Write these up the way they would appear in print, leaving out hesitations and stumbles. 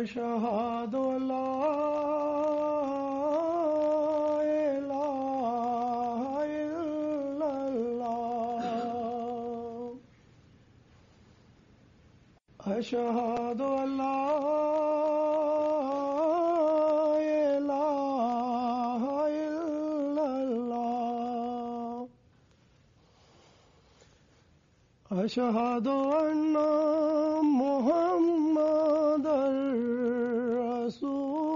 أشهد أن لا إله إلا الله أشهد أن لا إله إلا الله أشهد أن محمدًا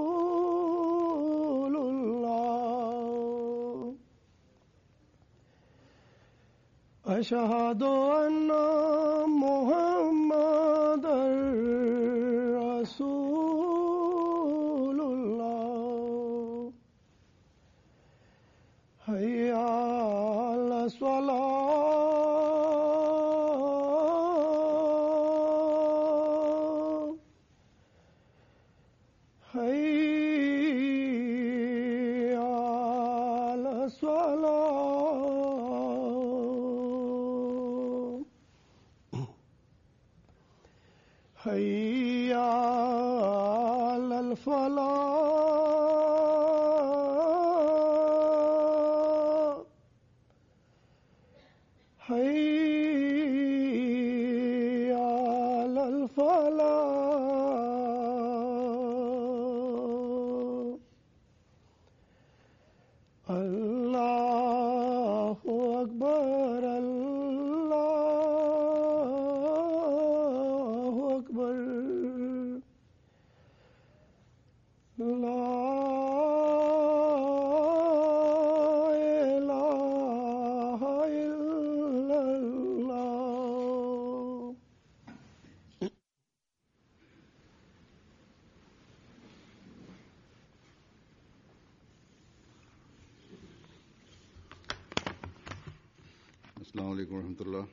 رسول الله أشهد أن محمدًا رسول الله حي على الصلاة حي على الفلاح حي على الفلاح الله أكبر السلام علیکم ورحمۃ اللہ.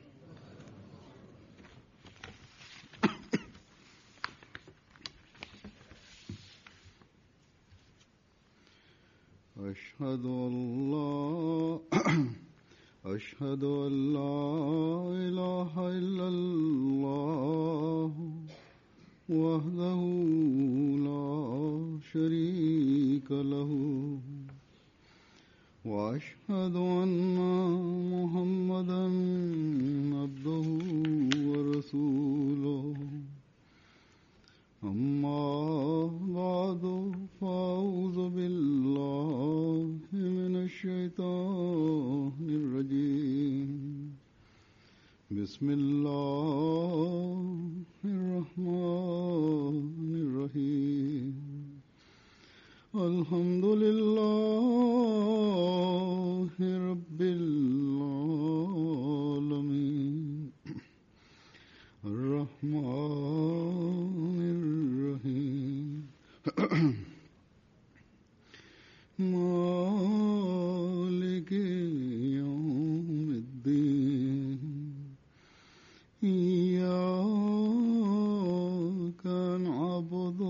أشهد أن لا إله إلا الله وحده لا شريك له وأشهد أن محمدًا عبده ورسوله. أما بعد فأعوذ بالله من الشيطان الرجيم. بسم الله الرحمن الرحيم. الحمد لله رب العالمين الرحمن الرحيم مالك يوم الدين إياك نعبد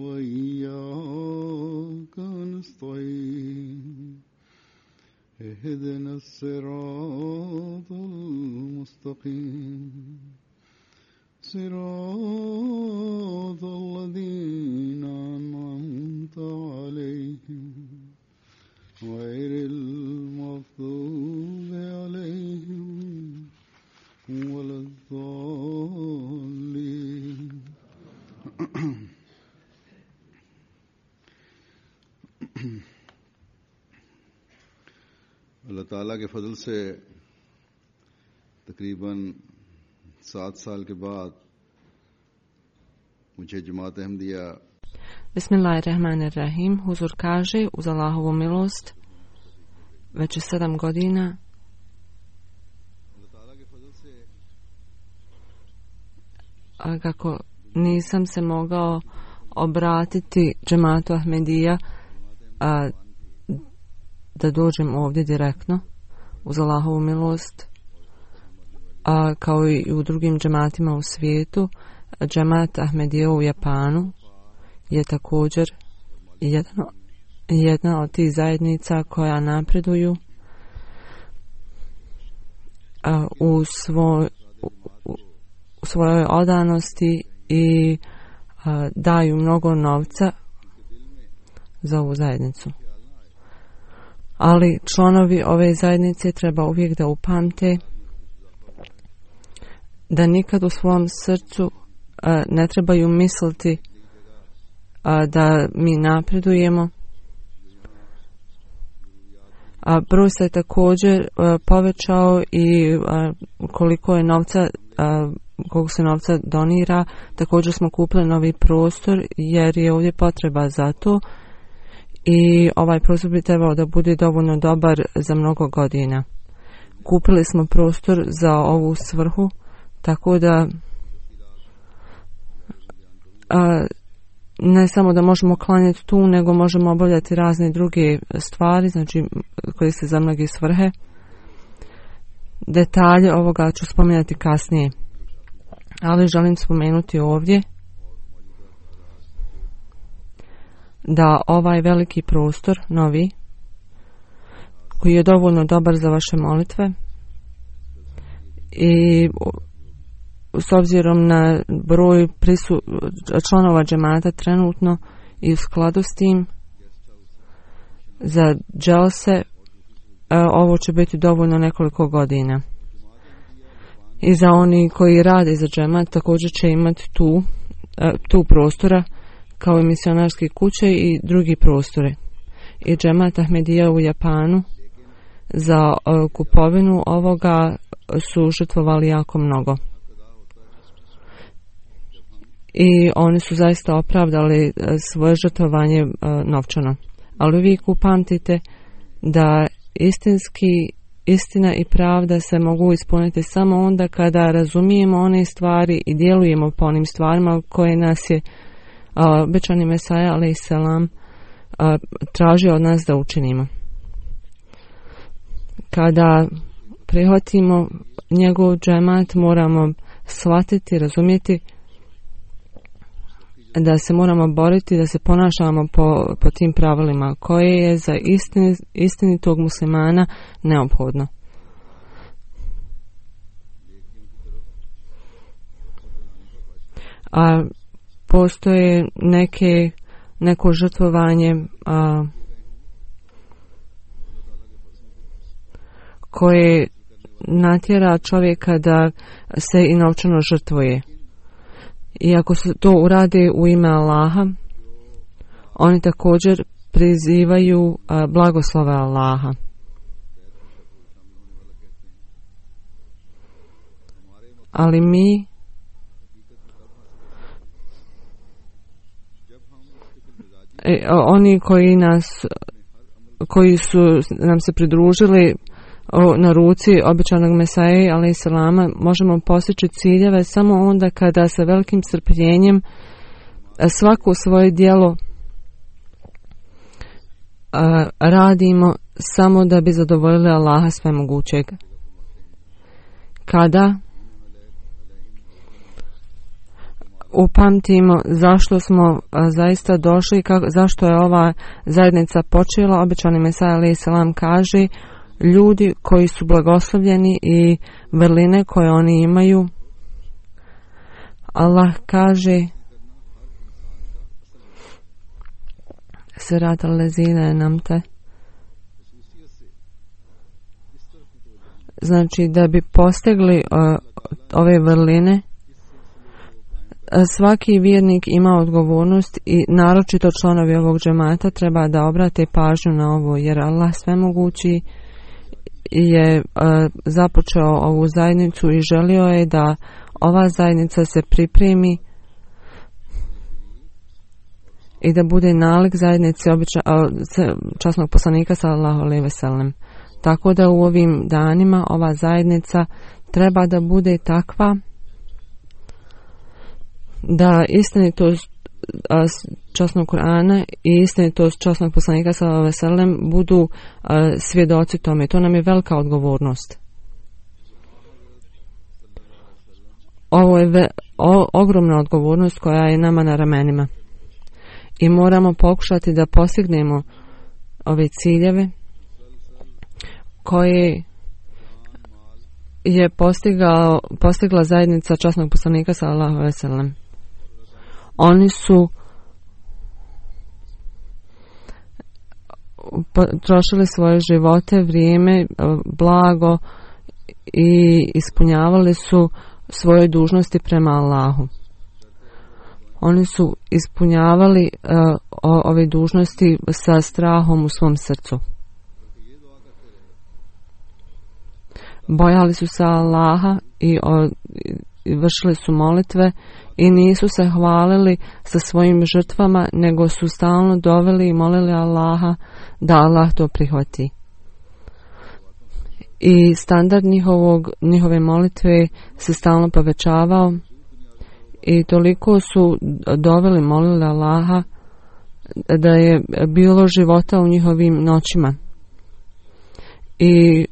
وإياك نستعين اهدنا الصراط المستقيم صراط الذين أنعمت عليهم غير المغضوب عليهم ولا الضالين. اللہ تعالیٰ کے فضل سے تقریباً 7 سال کے بعد muće džemaat Ahmadija. Bismillahirrahmanirrahim. Huzur kaže, uz Allahovu milost, već 7 godina kako nisam se mogao obratiti džemaatu Ahmadija da dođem ovdje direktno, uz Allahovu milost a kao i u drugim džematima u svijetu, džemat Ahmedija u Japanu je također jedna od tih zajednica koja napreduju u svojoj odanosti i daju mnogo novca za ovu zajednicu. Ali članovi ove zajednice treba uvijek da upamte da nikad u svom srcu ne trebaju misliti da mi napredujemo. Broj se također povećao i koliko se novca donira. Također smo kupili novi prostor jer je ovdje potreba za to i ovaj prostor bi trebao da bude dovoljno dobar za mnogo godina. Kupili smo prostor za ovu svrhu, tako da ne samo da možemo klanjati tu, nego možemo obavljati razne druge stvari, znači koje se za mnoge svrhe. Detalje ovoga ću spomenuti kasnije, ali želim spomenuti ovdje da ovaj veliki prostor, novi, koji je dovoljno dobar za vaše molitve i s obzirom na broj članova džemata trenutno i u skladu s tim za dželse ovo će biti dovoljno nekoliko godina. I za oni koji rade za džemat također će imati tu prostora kao i misionarske kuće i drugi prostore. I džemat Ahmedija u Japanu za kupovinu ovoga su žrtvovali jako mnogo. I oni su zaista opravdali svoje žrtvovanje novčano. Ali uvijek upamtite da istina i pravda se mogu ispuniti samo onda kada razumijemo one stvari i djelujemo po onim stvarima koje nas je obećani Mesaja alejselam traži od nas da učinimo. Kada prihvatimo njegov džemat, moramo shvatiti, razumjeti da se moramo boriti, da se ponašamo po tim pravilima koje je za istinitog muslimana neophodno. A postoje neko žrtvovanje koje natjera čovjeka da se i novčano žrtvuje. I ako se to uradi u ime Allaha, oni također prizivaju blagoslove Allaha. Ali mi oni koji su nam se pridružili na ruci obećanog Mesaje alejselama, možemo postići ciljeve samo onda kada sa velikim strpljenjem svako svoje djelo radimo samo da bi zadovoljili Allaha svemogućeg. Kada upamtimo zašto smo zaista došli, zašto je ova zajednica počela, obećani Mesaja alejselam kaže: ljudi koji su blagoslovljeni i vrline koje oni imaju, Allah kaže: Sirat al-lezine namte. Znači da bi postigli ove vrline, svaki vjernik ima odgovornost i naročito članovi ovog džemata treba da obrate pažnju na ovo, jer Allah svemogući je započeo ovu zajednicu i želio je da ova zajednica se pripremi i da bude nalik zajednici časnog poslanika sallallahu alejhi ve sellem. Tako da u ovim danima ova zajednica treba da bude takva da istinitost časnog Kur'ana i istinitost časnog poslanika sallallahu alejhi ve sellem budu svjedoci tome. To nam je velika odgovornost. Ovo je ogromna odgovornost koja je nama na ramenima. I moramo pokušati da postignemo ove ciljeve koje je postigla zajednica časnog poslanika sallallahu alejhi ve sellem. Oni su trošili svoje živote, vrijeme, blago i ispunjavali su svoje dužnosti prema Allahu. Oni su ispunjavali ove dužnosti sa strahom u svom srcu. Bojali su se Allaha i vršili su molitve i nisu se hvalili sa svojim žrtvama, nego su stalno doveli i molili Allaha da Allah to prihvati. I standard njihove molitve se stalno povećavao i toliko su doveli, molili Allaha da je bilo života u njihovim noćima. I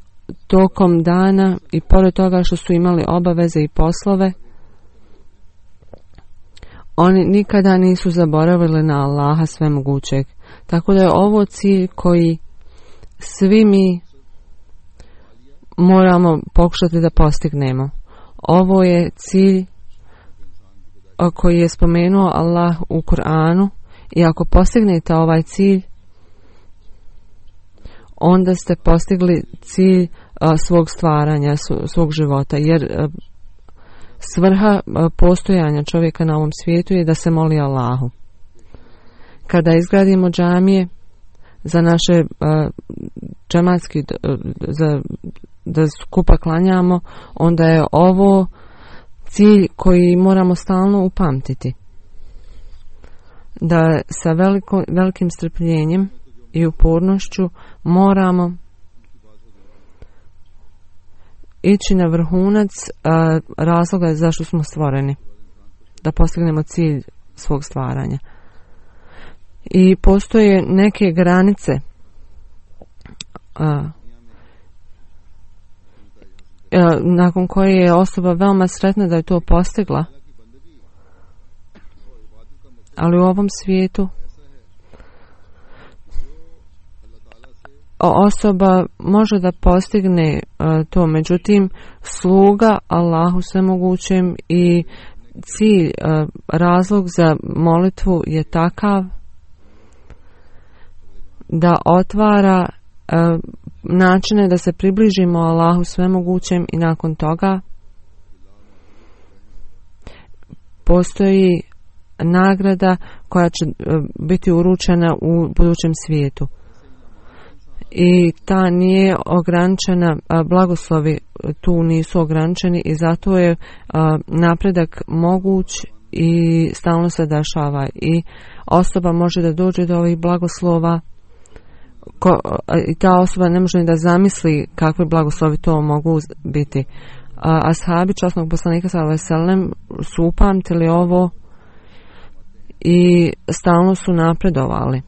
tokom dana i pored toga što su imali obaveze i poslove, oni nikada nisu zaboravili na Allaha svemogućeg. Tako da je ovo cilj koji svi mi moramo pokušati da postignemo. Ovo je cilj koji je spomenuo Allah u Kur'anu i ako postignete ovaj cilj, onda ste postigli cilj svog stvaranja, svog života, jer svrha postojanja čovjeka na ovom svijetu je da se moli Allahu. Kada izgradimo džamije za naše džematski, da skupa klanjamo, onda je ovo cilj koji moramo stalno upamtiti. Da sa velikim strpljenjem i upornošću moramo ići na vrhunac razloga zašto smo stvoreni, da postignemo cilj svog stvaranja. I postoje neke granice nakon koje je osoba veoma sretna da je to postigla, ali u ovom svijetu osoba može da postigne to, međutim sluga Allahu svemogućem i cilj, razlog za molitvu je takav da otvara načine da se približimo Allahu svemogućem i nakon toga postoji nagrada koja će biti uručena u budućem svijetu. I ta nije ograničena, blagoslovi tu nisu ograničeni i zato je napredak moguć i stalno se dešava i osoba može da dođe do ovih blagoslova i ta osoba ne može ni da zamisli kakvi blagoslovi to mogu biti. Ashabi časnog poslanika sallallahu alejhi ve sellem su upamtili ovo i stalno su napredovali.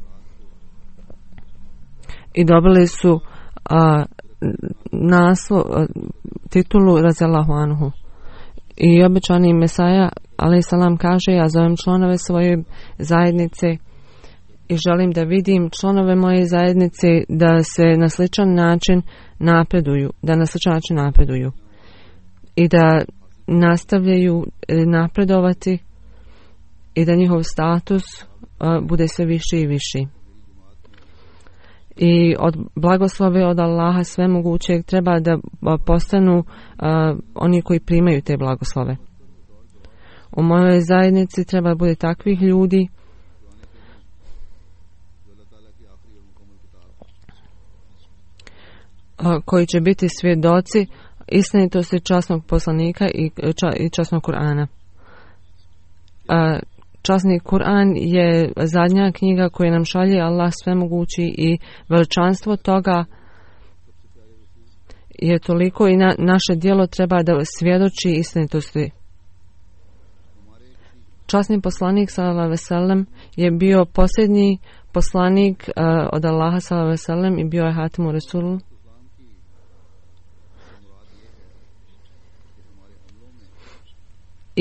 I dobili su titulu radijallahu anhu. I obećani Mesaja alejhi selam kaže: ja zovem članove svoje zajednice i želim da vidim članove moje zajednice da se na sličan način napreduju i da nastavljaju napredovati i da njihov status bude sve viši i viši. I od blagoslove od Allaha svemogućeg treba da postanu oni koji primaju te blagoslove. U mojoj zajednici treba da bude takvih ljudi koji će biti svjedoci istinitosti časnog poslanika i časnog Kur'ana. Časni Kur'an je zadnja knjiga koju nam šalje Allah svemogući i veličanstvo toga je toliko i naše djelo treba da svjedoči istinitosti. Časni poslanik sallallahu alejhi ve sellem je bio posljednji poslanik od Allaha sallallahu alejhi ve sellem i bio je Hatimu Rasul.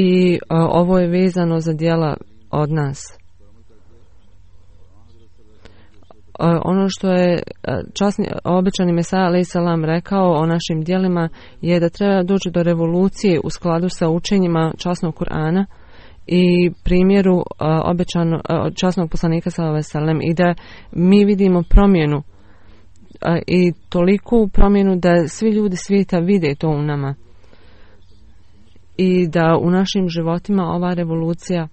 i ovo je vezano za djela od nas. Ono što je obećani Mesaja alejhi selam rekao o našim djelima je da treba doći do revolucije u skladu sa učenjima časnog Kur'ana i primjeru časnog poslanika sallallahu alejhi ve sellem, i da mi vidimo promjenu i toliku promjenu da svi ljudi svijeta vide to u nama i da u našim životima ova revolucija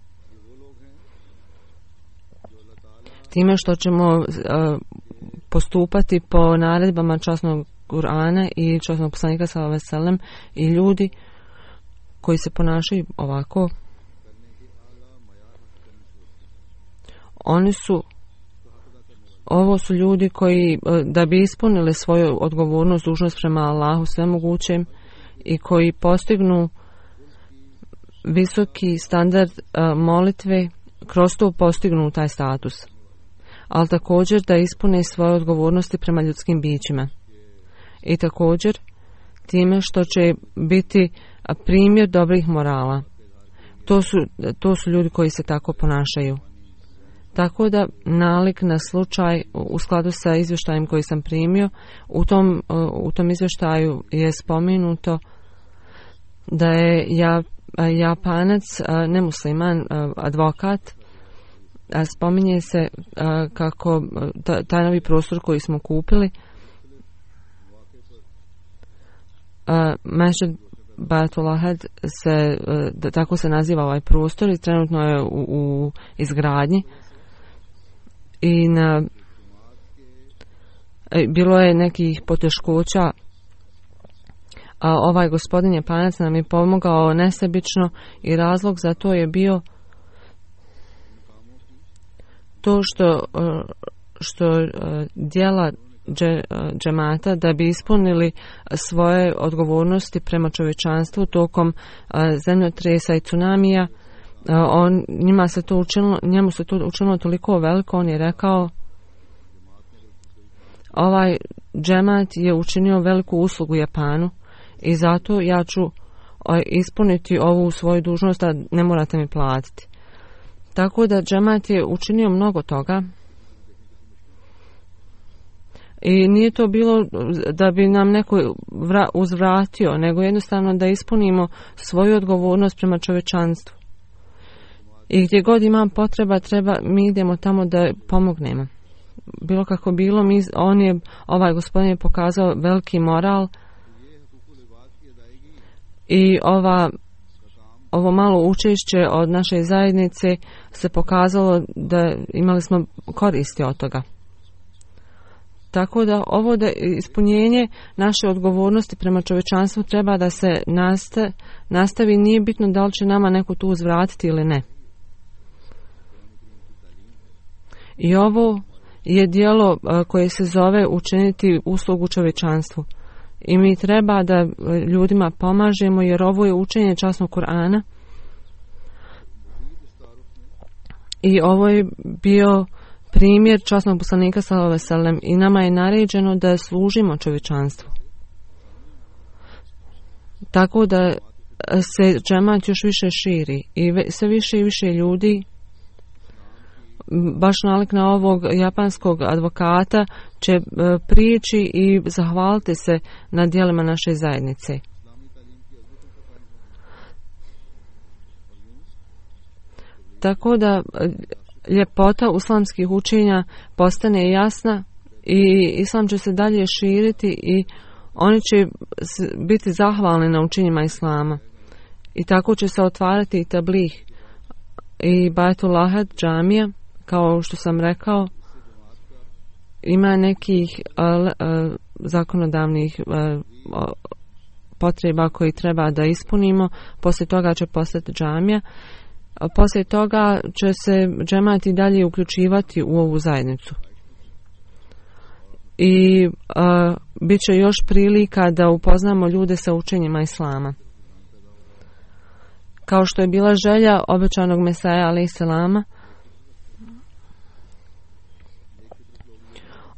time što ćemo postupati po naredbama časnog Kur'ana i časnog poslanika sallallahu alejhi ve sellem, i ljudi koji se ponašaju ovako, ovo su ljudi koji da bi ispunili svoju odgovornost, dužnost prema Allahu svemogućem i koji postignu visoki standard molitve, kroz to postignu taj status, ali također da ispune svoje odgovornosti prema ljudskim bićima i također time što će biti primjer dobrih morala. To su ljudi koji se tako ponašaju. Tako da nalik na slučaj u skladu sa izvještajem koji sam primio, u tom izvještaju je spomenuto da je Japanac, nemusliman, advokat, spominje se kako taj novi prostor koji smo kupili, Masjid Baitul Ahad tako se naziva ovaj prostor, i trenutno je u izgradnji. I bilo je nekih poteškoća, a ovaj gospodin Japanac nam je pomogao nesebično, i razlog za to je bio to što djela džemata da bi ispunili svoje odgovornosti prema čovječanstvu tokom zemljotresa i tsunamija, njemu se to učinilo toliko veliko. On je rekao, ovaj džemat je učinio veliku uslugu Japanu i zato ja ću ispuniti ovu svoju dužnost, a ne morate mi platiti. Tako da džemat je učinio mnogo toga i nije to bilo da bi nam neko uzvratio, nego jednostavno da ispunimo svoju odgovornost prema čovječanstvu. I gdje god imam potreba, mi idemo tamo da pomognemo. Bilo kako bilo, ovaj gospodin je pokazao veliki moral, i ovo malo učešće od naše zajednice se pokazalo da imali smo koristi od toga. Tako da ovo ispunjenje naše odgovornosti prema čovječanstvu treba da se nastavi, nije bitno da li će nama neko tu uzvratiti ili ne. I ovo je djelo koje se zove učiniti uslugu čovječanstvu. I mi treba da ljudima pomažemo, jer ovo je učenje časnog Kur'ana. I ovo je bio primjer časnog poslanika sallallahu alejhi ve sellem, i nama je naređeno da služimo čovječanstvu. Tako da se džemat još više širi i sve više i više ljudi, baš nalik na ovog japanskog advokata, će prići i zahvaliti se na djelima naše zajednice. Tako da ljepota islamskih učenja postane jasna i islam će se dalje širiti i oni će biti zahvalni na učenjima islama. I tako će se otvarati i tablih i Baitul Ahad džamija, kao što sam rekao, ima nekih zakonodavnih potreba koji treba da ispunimo. Poslije toga će postati džamija. Poslije toga će se džemat i dalje uključivati u ovu zajednicu. I bit će još prilika da upoznamo ljude sa učenjima islama. Kao što je bila želja obećanog Mesaja alejhi selama,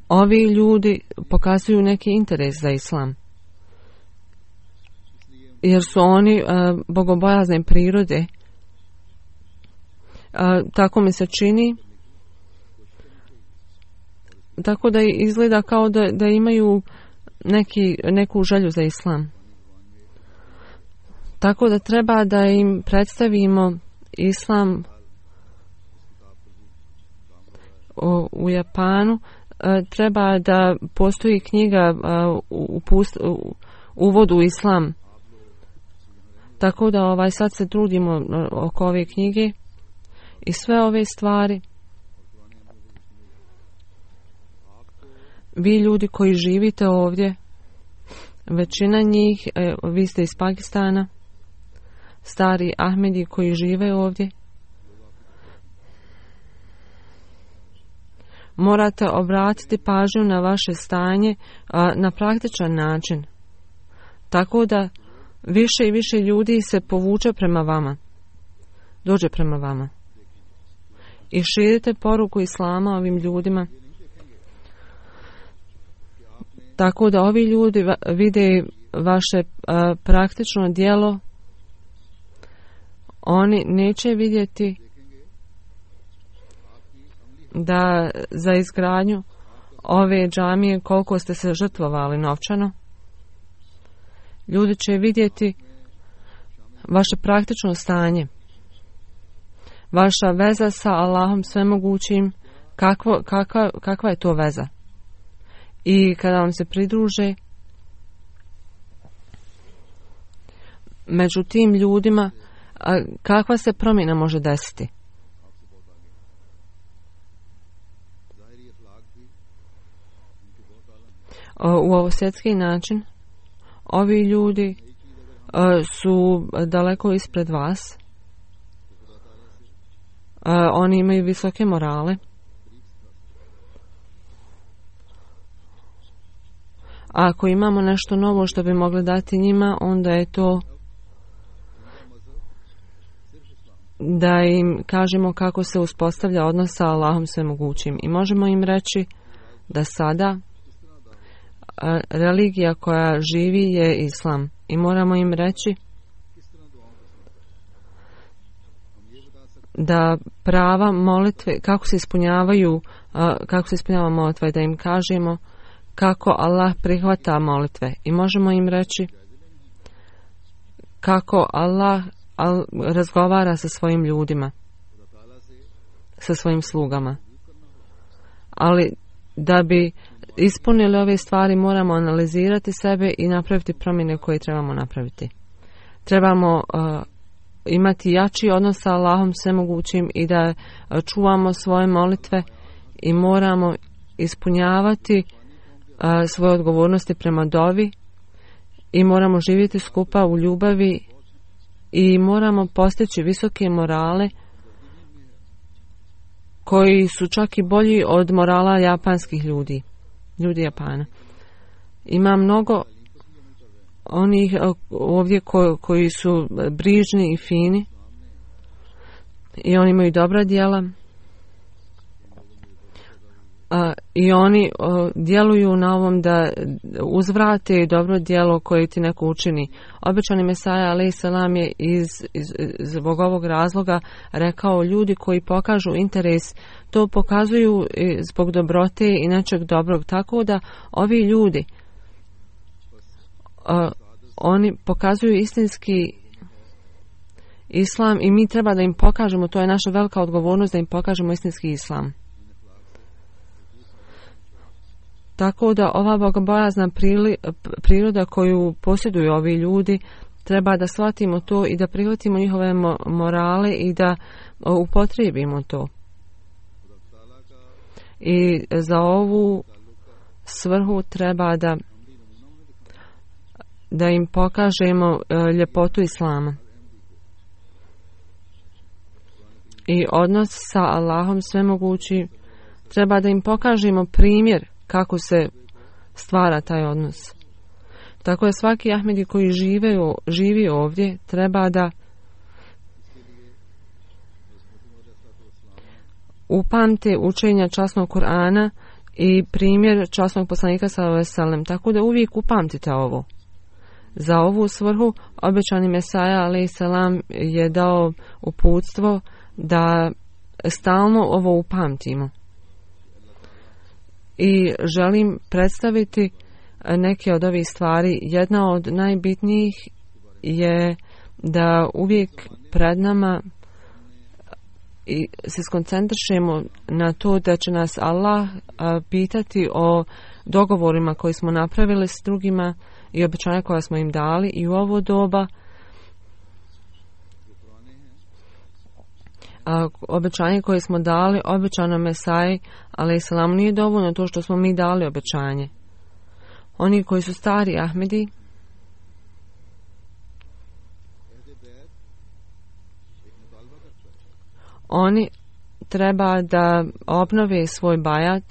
ovi ljudi pokazuju neki interes za islam. jer su oni bogobojazne prirode. Tako mi se čini. Tako da izgleda kao da imaju neku želju za islam. Tako da treba da im predstavimo islam u Japanu. Treba da postoji knjiga Uvod u islam. Tako da sad se trudimo oko ove knjige i sve ove stvari. Vi ljudi koji živite ovdje, većina njih, vi ste iz Pakistana, stari Ahmedi koji žive ovdje, morate obratiti pažnju na vaše stanje na praktičan način. Tako da više i više ljudi se povuče prema vama, dođe prema vama. I širite poruku islama ovim ljudima. Tako da ovi ljudi vide vaše praktično djelo. Oni neće vidjeti da za izgradnju ove džamije koliko ste se žrtvovali novčano. Ljudi će vidjeti vaše praktično stanje. Vaša veza sa Allahom svemogućim, kakva je to veza. I kada vam se pridruže, među tim ljudima, kakva se promjena može desiti? U ovosvjetski način, ovi ljudi su daleko ispred vas. Oni imaju visoke morale. A ako imamo nešto novo što bi mogli dati njima, onda je to da im kažemo kako se uspostavlja odnos sa Allahom svemogućim. I možemo im reći da sada religija koja živi je islam. I moramo im reći da prava molitve, kako se ispunjava molitva, i da im kažemo kako Allah prihvata molitve. I možemo im reći kako Allah razgovara sa svojim ljudima, sa svojim slugama. Ali da bi ispunili ove stvari, moramo analizirati sebe i napraviti promjene koje trebamo napraviti. Trebamo imati jači odnos sa Allahom svemogućim i da čuvamo svoje molitve i moramo ispunjavati svoje odgovornosti prema dovi i moramo živjeti skupa u ljubavi i moramo postići visoke morale koji su čak i bolji od morala japanskih ljudi Japana. Ima mnogo onih ovdje koji su brižni i fini i oni imaju dobra djela i oni djeluju na ovom da uzvrate dobro djelo koje ti neko učini. Obećani Mesaja alejhi selam je zbog ovog razloga rekao, ljudi koji pokažu interes, to pokazuju zbog dobrote i nečeg dobrog. Tako da ovi ljudi oni pokazuju istinski islam i mi treba da im pokažemo, to je naša velika odgovornost, da im pokažemo istinski islam. Tako da ova bogobojazna priroda koju posjeduju ovi ljudi, treba da shvatimo to i da prihvatimo njihove morale i da upotrijebimo to. I za ovu svrhu treba da im pokažemo ljepotu islama. I odnos sa Allahom svemogući, treba da im pokažemo primjer kako se stvara taj odnos. Tako je svaki Ahmedi koji živi ovdje treba da upamte učenja časnog Kur'ana i primjer časnog poslanika sallallahu alejhi ve sellem. Tako da uvijek upamtite ovo. Za ovu svrhu obećani Mesaja alejselam je dao uputstvo da stalno ovo upamtimo. I želim predstaviti neke od ovih stvari. Jedna od najbitnijih je da uvijek pred nama i se skoncentrišemo na to da će nas Allah pitati o dogovorima koji smo napravili s drugima i obećanja koja smo im dali i u ovo doba. Obećanje koje smo dali obećano Mesaji alejselam nije dovoljno to što smo mi dali obećanje. Oni koji su stari Ahmedi, oni treba da obnove svoj bajat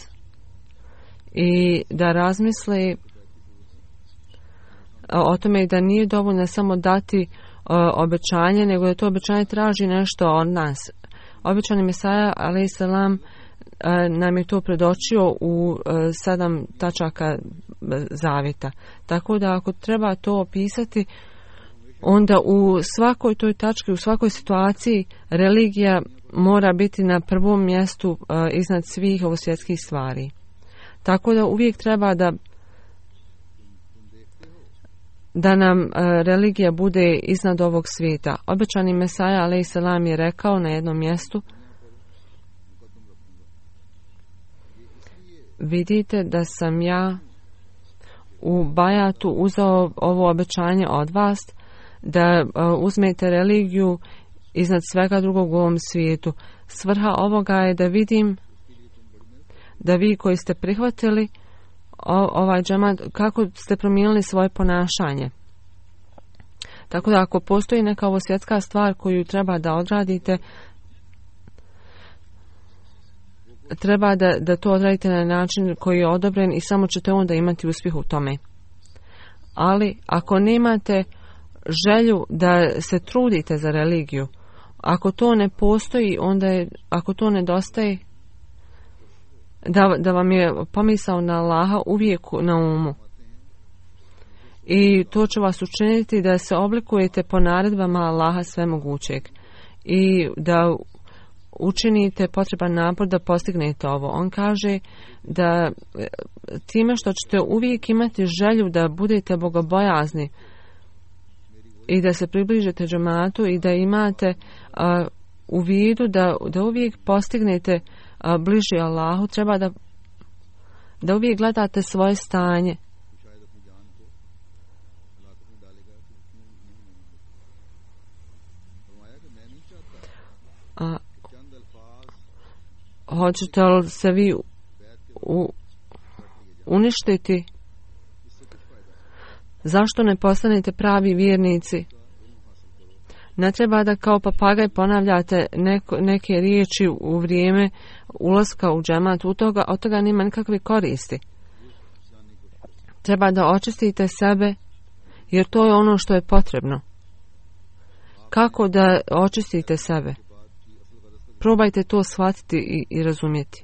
i da razmisle o tome da nije dovoljno samo dati obećanje, nego da to obećanje traži nešto od nas. Obećani Mesaja alejselam nam je to predočio u 7 tačaka zavjeta. Tako da ako treba to opisati, onda u svakoj toj tački, u svakoj situaciji religija mora biti na prvom mjestu iznad svih ovosvjetskih stvari. Tako da uvijek treba da nam religija bude iznad ovog svijeta. Obećani Mesaja alejselam je rekao na jednom mjestu: vidite da sam ja u bajatu uzeo ovo obećanje od vas da uzmete religiju iznad svega drugog u ovom svijetu. Svrha ovoga je da vidim da vi koji ste prihvatili ovaj džemat, kako ste promijenili svoje ponašanje. Tako da ako postoji neka ovo svjetska stvar koju treba da odradite, treba da to odradite na način koji je odobren i samo ćete onda imati uspjeh u tome. Ali ako nemate želju da se trudite za religiju, ako to ne postoji, onda je, ako to nedostaje, da vam je pomisao na Allaha uvijek na umu. I to će vas učiniti da se oblikujete po naredbama Allaha svemogućeg i da učinite potreban napor da postignete ovo. On kaže da time što ćete uvijek imati želju da budete bogobojazni i da se približite džematu i da imate u vidu da uvijek postignete bliži Allahu, treba da uvijek gledate svoje stanje. Hoćete li se vi uništiti? Zašto ne postanete pravi vjernici? Ne treba da kao papagaj ponavljate neke riječi u vrijeme ulaska u džemat, od toga nema nikakve koristi. Treba da očistite sebe, jer to je ono što je potrebno. Kako da očistite sebe? Probajte to shvatiti i razumjeti.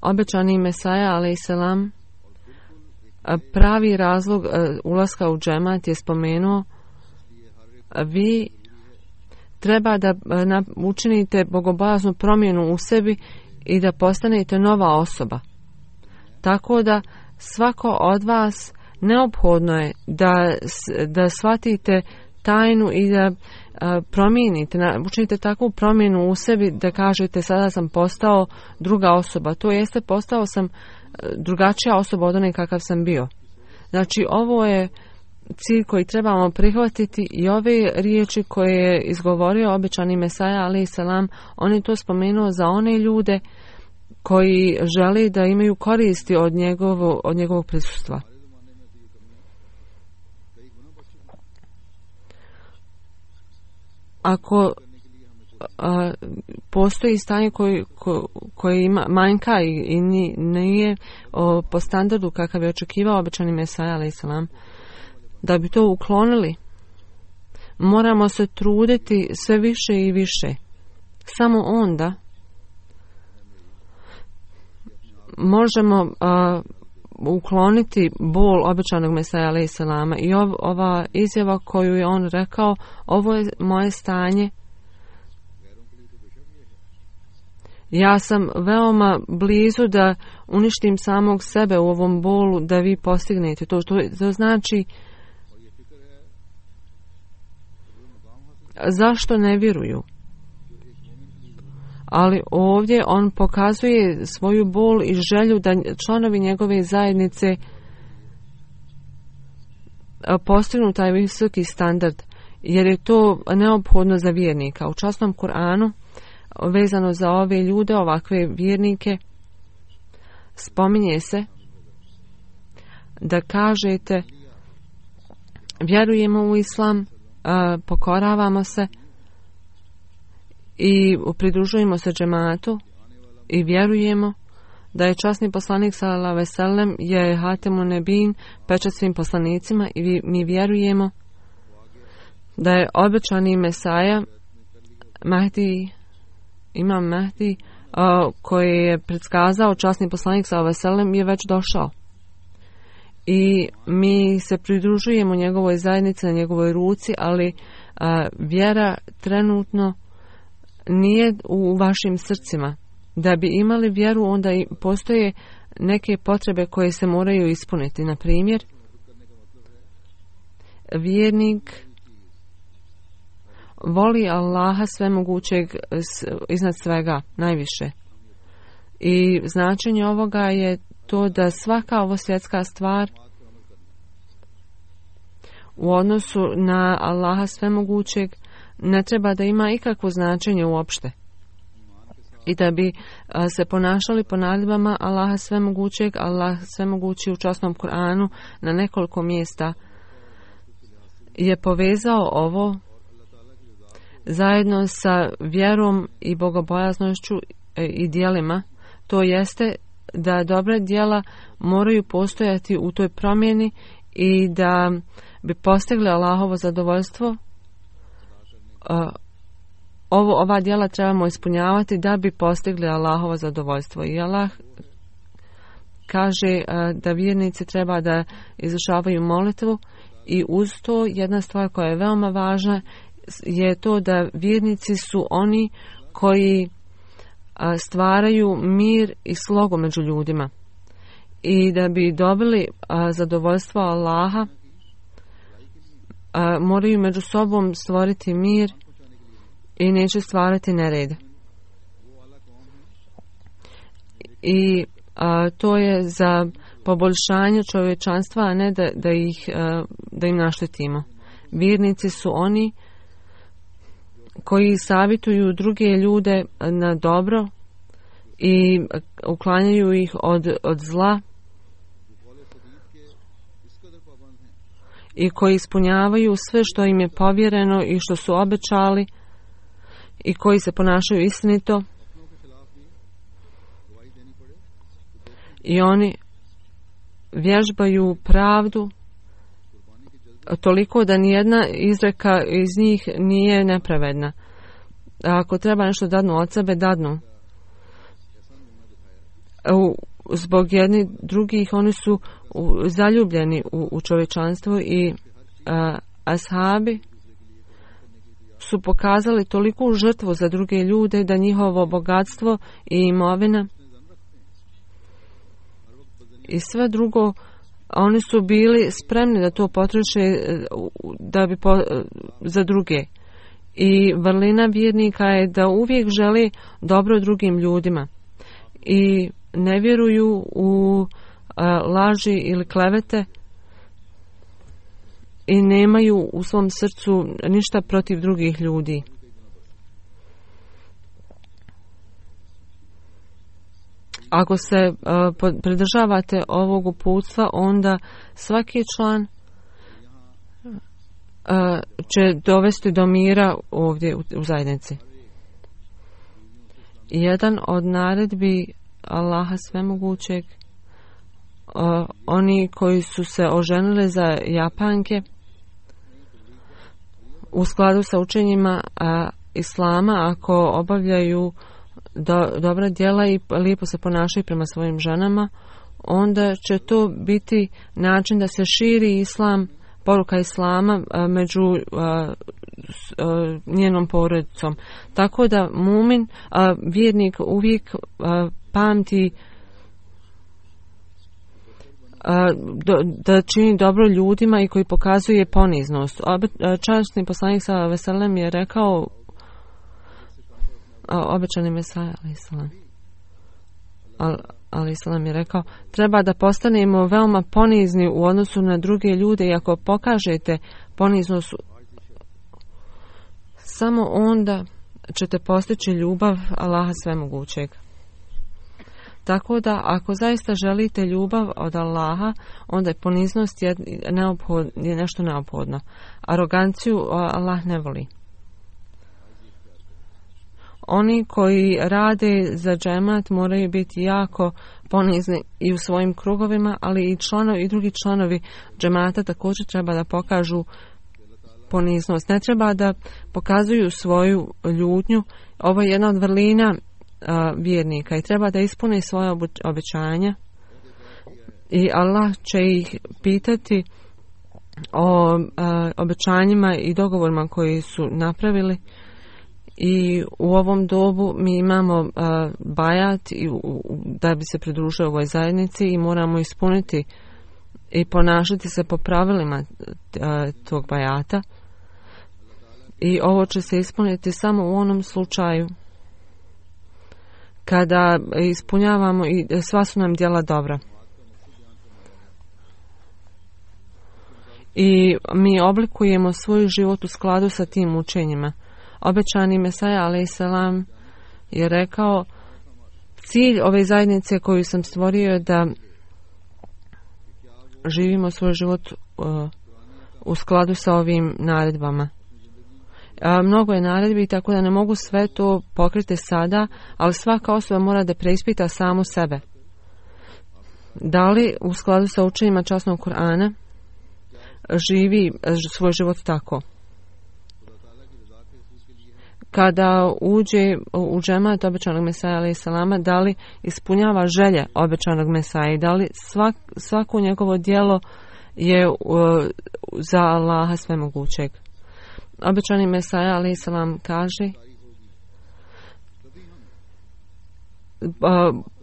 Obećani Mesaja alejselam pravi razlog ulaska u džemat je spomenuo: vi treba da učinite bogobojaznu promjenu u sebi i da postanete nova osoba. Tako da svako od vas neophodno je da shvatite tajnu i da promijenite, učinite takvu promjenu u sebi da kažete sada sam postao druga osoba. To jeste, postao sam drugačija osoba od one kakav sam bio. Znači ovo je cilj koji trebamo prihvatiti i ove riječi koje je izgovorio obećani Mesaja alejselam, on je to spomenuo za one ljude koji žele da imaju koristi od njegovog prisustva. Ako postoji stanje koje ima manjka i nije po standardu kakav je očekivao obećani Mesaja alejselam, da bi to uklonili, moramo se truditi sve više i više. Samo onda možemo ukloniti bol obećanog Mesaja alejhi selama i ova izjava koju je on rekao, ovo je moje stanje. Ja sam veoma blizu da uništim samog sebe u ovom bolu da vi postignete to. To znači zašto ne vjeruju? Ali ovdje on pokazuje svoju bol i želju da članovi njegove zajednice postignu taj visoki standard, jer je to neophodno za vjernika. U časnom Kur'anu vezano za ove ljude, ovakve vjernike, spominje se da kažete vjerujemo u islam, pokoravamo se i pridružujemo se džematu i vjerujemo da je časni poslanik sallallahu alejhi ve sellem je hatemun nebin, pečat svim poslanicima, i mi vjerujemo da je obećani Mesaja Mahdi, imam Mahdi, koji je predskazao časni poslanik sallallahu alejhi ve sellem, je već došao. I mi se pridružujemo njegovoj zajednici, na njegovoj ruci, ali vjera trenutno nije u vašim srcima. Da bi imali vjeru, onda i postoje neke potrebe koje se moraju ispuniti. Na primjer, vjernik voli Allaha svemogućeg iznad svega, najviše. I značenje ovoga je to da svaka ovo svjetska stvar u odnosu na Allaha svemogućeg ne treba da ima ikakvo značenje uopšte. I da bi se ponašali po naredbama Allaha svemogućeg. Allah svemogući u časnom Kur'anu na nekoliko mjesta je povezao ovo zajedno sa vjerom i bogobojaznošću i djelima. To jeste da dobra djela moraju postojati u toj promjeni i da bi postigli Allahovo zadovoljstvo. Ova djela trebamo ispunjavati da bi postigli Allahovo zadovoljstvo. I Allah kaže da vjernici treba da izvršavaju molitvu, i uz to jedna stvar koja je veoma važna je to da vjernici su oni koji stvaraju mir i slogu među ljudima. I da bi dobili zadovoljstvo Allaha, moraju među sobom stvoriti mir i neće stvarati nered. I to je za poboljšanje čovječanstva, a ne da im naštetimo. Vjernici su oni koji savjetuju druge ljude na dobro i uklanjaju ih od zla, i koji ispunjavaju sve što im je povjereno i što su obećali, i koji se ponašaju istinito, i oni vježbaju pravdu toliko da nijedna izreka iz njih nije nepravedna. Ako treba nešto dadnu od sebe, dadnu. Zbog jednih drugih oni su zaljubljeni u čovječanstvo, i ashabi su pokazali toliku žrtvu za druge ljude da njihovo bogatstvo i imovina i sve drugo, oni su bili spremni da to potroše za druge. I vrlina vjernika je da uvijek želi dobro drugim ljudima i ne vjeruju u laži ili klevete i nemaju u svom srcu ništa protiv drugih ljudi. Ako se pridržavate ovog uputstva, onda svaki član će dovesti do mira ovdje u zajednici. Jedan od naredbi Allaha svemogućeg, oni koji su se oženili za Japanke u skladu sa učenjima Islama, ako obavljaju dobra djela i lijepo se ponašaju prema svojim ženama, onda će to biti način da se širi islam, poruka islama među njenom porodicom. Tako da mumin, vjernik uvijek pamti da čini dobro ljudima i koji pokazuje poniznost. Časni poslanik sallallahu alejhi ve sellem je rekao, obećani Mesaja alejhi selam je rekao, treba da postanemo veoma ponizni u odnosu na druge ljude i ako pokažete poniznost, samo onda ćete postići ljubav Allaha svemogućeg. Tako da ako zaista želite ljubav od Allaha, onda je poniznost je nešto neophodno. Aroganciju Allah ne voli. Oni koji rade za džemat moraju biti jako ponizni i u svojim krugovima, ali i drugi članovi džemata također treba da pokažu poniznost. Ne treba da pokazuju svoju ljutnju. Ovo je jedna od vrlina vjernika i treba da ispune svoje obećanja i Allah će ih pitati o obećanjima i dogovorima koji su napravili. I u ovom dobu mi imamo bajat da bi se pridružili ovoj zajednici i moramo ispuniti i ponašati se po pravilima tog bajata. I ovo će se ispuniti samo u onom slučaju kada ispunjavamo i sva su nam djela dobra. I mi oblikujemo svoj život u skladu sa tim učenjima. Obećani Mesaja alejselam je rekao, cilj ove zajednice koju sam stvorio je da živimo svoj život u skladu sa ovim naredbama. Mnogo je naredbi, tako da ne mogu sve to pokriti sada, ali svaka osoba mora da preispita samu sebe. Da li u skladu sa učenjima časnog Kur'ana živi svoj život tako? Kada uđe u džemat obećanog Mesaja alejselama, da li ispunjava želje obećanog Mesaja i da li svako njegovo djelo je za Allaha svemogućeg. Obećani Mesaja alejselam kaže,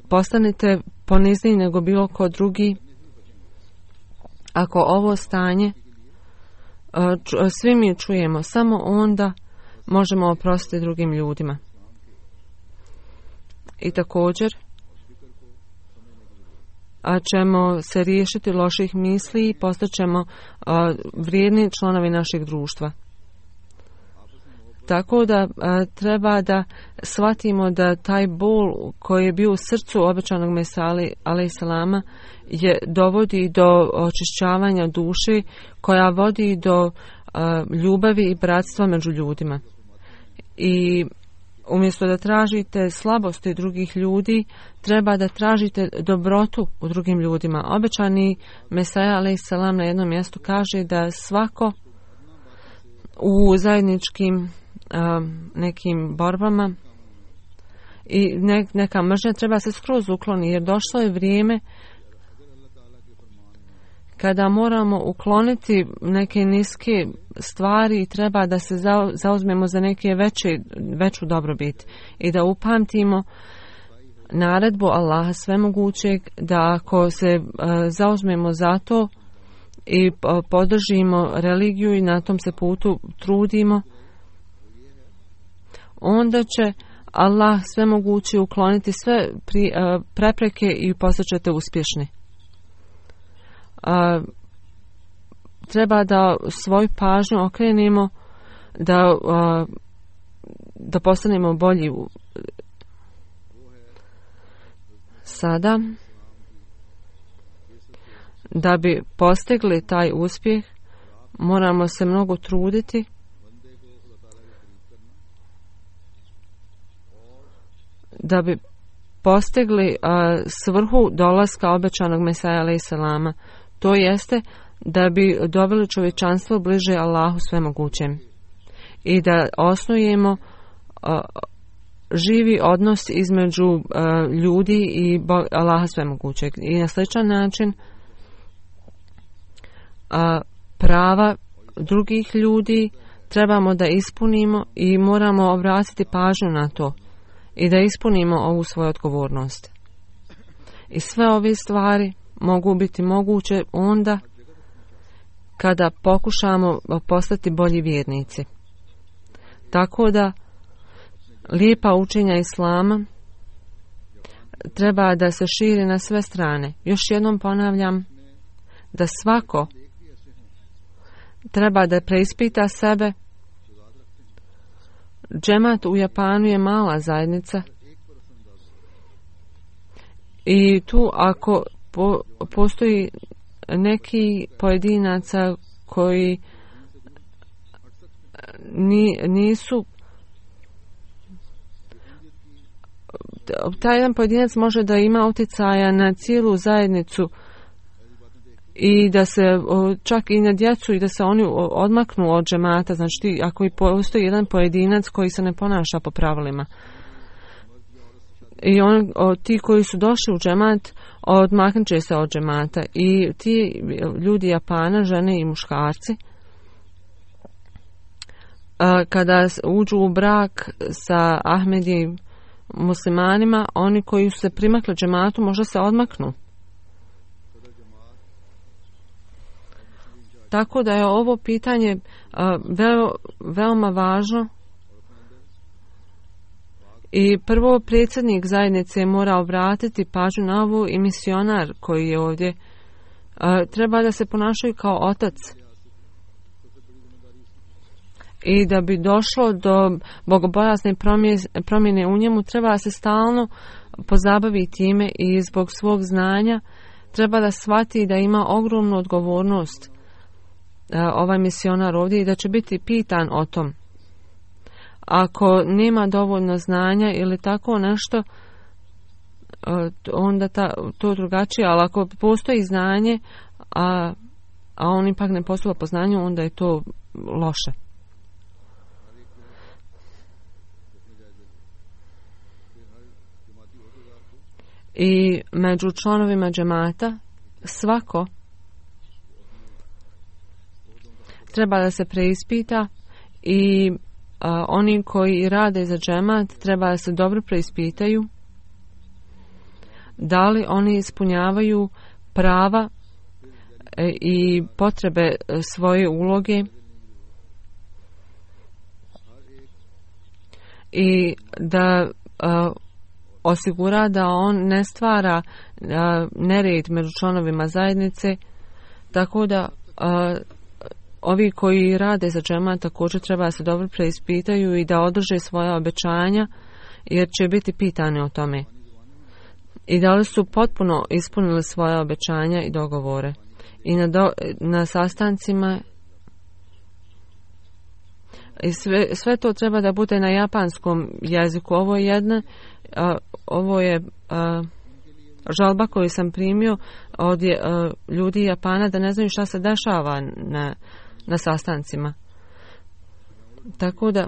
postanite ponizniji nego bilo ko drugi. Ako ovo stanje svi mi čujemo, samo onda možemo oprostiti drugim ljudima. I također ćemo se riješiti loših misli i postaćemo vrijedni članovi našeg društva. Tako da treba da shvatimo da taj bol koji je bio u srcu obećanog Mesaja alejselama je dovodi do očišćavanja duše, koja vodi do ljubavi i bratstva među ljudima. I umjesto da tražite slabosti drugih ljudi, treba da tražite dobrotu u drugim ljudima. Obećani Mesaja alejselam na jednom mjestu kaže da svako u zajedničkim nekim borbama i neka mržnja treba se skroz ukloni, jer došlo je vrijeme kada moramo ukloniti neke niske stvari i treba da se zauzmemo za neke veću dobrobit i da upamtimo naredbu Allaha svemogućeg da ako se zauzmemo za to i podržimo religiju i na tom se putu trudimo, onda će Allah svemogući ukloniti sve prepreke i postaćete uspješni. Treba da svoju pažnju okrenemo da postanemo bolji. Sada, da bi postigli taj uspjeh, moramo se mnogo truditi da bi postigli svrhu dolaska obećanog Mesaja alejselama. To jeste da bi doveli čovječanstvo bliže Allahu svemogućem i da osnujemo živi odnos između ljudi i Allaha svemogućeg. I na sličan način prava drugih ljudi trebamo da ispunimo i moramo obratiti pažnju na to i da ispunimo ovu svoju odgovornost. I sve ove stvari mogu biti moguće onda kada pokušamo postati bolji vjernici. Tako da lijepa učenja Islama treba da se širi na sve strane. Još jednom ponavljam da svako treba da preispita sebe. Džemat u Japanu je mala zajednica i tu ako postoji neki pojedinaca koji nisu, taj jedan pojedinac može da ima utjecaja na cijelu zajednicu i da se čak i na djecu i da se oni odmaknu od džemata. Znači ako i postoji jedan pojedinac koji se ne ponaša po pravilima i ti koji su došli u džemat odmaknut će se od džemata i ti ljudi Japana, žene i muškarci, kada uđu u brak sa Ahmedi muslimanima, oni koji su se primakli džematu možda se odmaknu. Tako da je ovo pitanje veoma važno i prvo predsjednik zajednice mora obratiti pažnju na ovo i misionar koji je ovdje treba da se ponašaju kao otac. I da bi došlo do bogobojazne promjene u njemu treba se stalno pozabaviti time i zbog svog znanja treba da shvati da ima ogromnu odgovornost ovaj misionar ovdje i da će biti pitan o tom. Ako nema dovoljno znanja ili tako nešto, onda to drugačije, ali ako postoji znanje, a on ipak ne postupa po znanju, onda je to loše. I među članovima džemata svako treba da se preispita i oni koji rade za džemat treba da se dobro preispitaju da li oni ispunjavaju prava i potrebe svoje uloge i da osigura da on ne stvara nered među članovima zajednice, tako da ovi koji rade za džemat također treba da se dobro preispitaju i da održe svoja obećanja, jer će biti pitani o tome. I da li su potpuno ispunili svoja obećanja i dogovore. I na sastancima i sve to treba da bude na japanskom jeziku. Ovo je žalba koju sam primio od ljudi Japana da ne znaju šta se dešava na sastancima. Tako da